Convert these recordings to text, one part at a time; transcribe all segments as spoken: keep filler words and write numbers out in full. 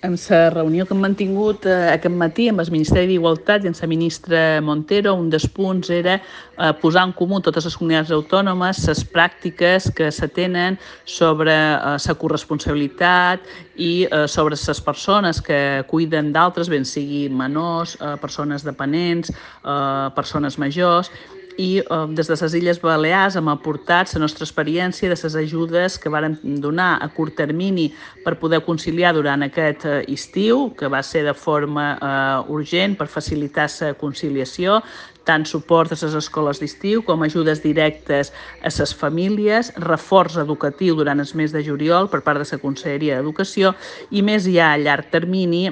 En la reunió que hem mantingut eh, aquest matí amb el Ministeri d'Igualtat i amb la ministra Montero, un dels punts era eh, posar en comú totes les comunitats autònomes les pràctiques que se tenen sobre eh, la corresponsabilitat i eh, sobre les persones que cuiden d'altres, ben sigui menors, eh, persones dependents, eh, persones majors. I eh, des de les Illes Balears hem aportat la nostra experiència de les ajudes que varen donar a curt termini per poder conciliar durant aquest eh, estiu, que va ser de forma eh, urgent per facilitar la conciliació, tant suport a les escoles d'estiu com ajudes directes a les famílies, reforç educatiu durant el mes de juliol per part de la Conselleria d'Educació i més ja a llarg termini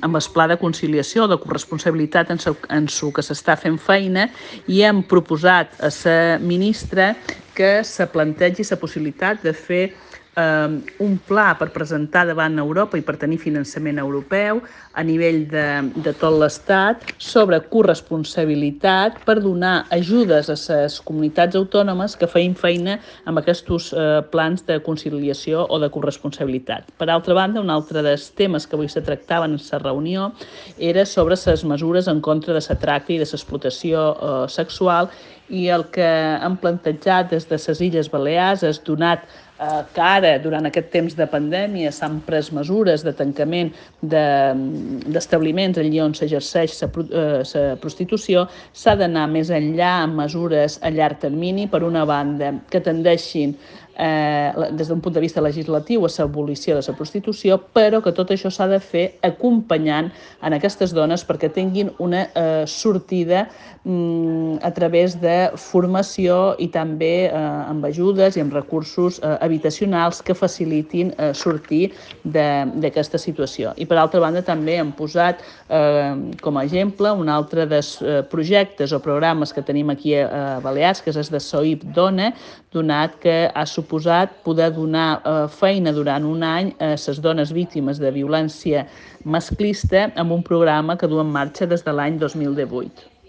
amb el pla de conciliació, de corresponsabilitat en el que s'està fent feina, i hem proposat a la ministra que se plantegi la possibilitat de fer eh, un pla per presentar davant Europa i per tenir finançament europeu a nivell de, de tot l'Estat sobre corresponsabilitat per donar ajudes a les comunitats autònomes que feien feina amb aquests eh, plans de conciliació o de corresponsabilitat. Per altra banda, un altre dels temes que avui se tractaven en la reunió era sobre les mesures en contra de la tracta i de l'explotació eh, sexual, i el que hem plantejat des de les Illes Balears és donat eh, que ara, durant aquest temps de pandèmia, s'han pres mesures de tancament d'establiments allà on s'exerceix la prostitució, s'ha d'anar més enllà amb mesures a llarg termini, per una banda, que tendeixin Eh, des d'un punt de vista legislatiu a l'abolició de la prostitució, però que tot això s'ha de fer acompanyant en aquestes dones perquè tinguin una eh, sortida mm, a través de formació i també eh, amb ajudes i amb recursos eh, habitacionals que facilitin eh, sortir d'aquesta situació. I per altra banda també hem posat eh, com a exemple un altre dels eh, projectes o programes que tenim aquí a, a Balears, que és el de SOIP Dona, donat que ha suposat poder donar eh, feina durant un any a les dones víctimes de violència masclista amb un programa que du en marxa des de l'any dos mil divuit.